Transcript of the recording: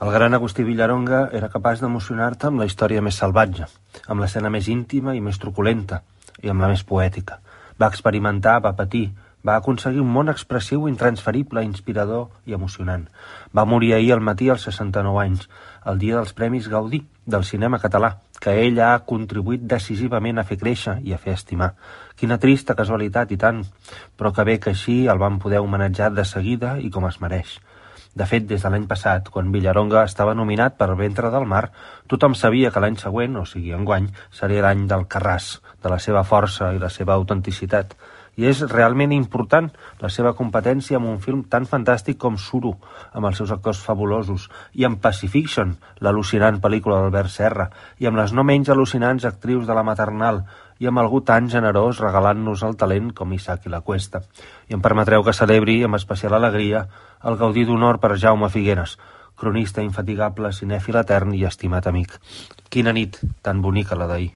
El gran Agustí Villaronga era capaç d'emocionar-te amb la història més salvatge, amb l'escena més íntima i més truculenta, i amb la més poètica. Va experimentar, va patir, va aconseguir un món expressiu intransferible, inspirador i emocionant. Va morir ahir al matí als 69 anys, el dia dels Premis Gaudí del cinema català, que ell ha contribuït decisivament a fer créixer i a fer estimar. Quina trista casualitat, i tant, però que bé que així el van poder homenatjar de seguida i com es mereix. De fet, des de l'any passat, quan Villaronga estava nominat per Ventre del Mar, tothom sabia que l'any següent, o sigui enguany, seria l'any del Carràs, de la seva força i la seva autenticitat. I és realment important la seva competència amb un film tan fantàstic com Suro, amb els seus actors fabulosos, i amb Pacifiction, l'al·lucinant pel·lícula d'Albert Serra, i amb les no menys al·lucinants actrius de La Maternal, i amb algú tan generós regalant-nos el talent com Isaac i la Cuesta. I em permetreu que celebri amb especial alegria el Gaudí d'Honor per Jaume Figueres, cronista infatigable, cinèfil etern i estimat amic. Quina nit tan bonica la d'ahir.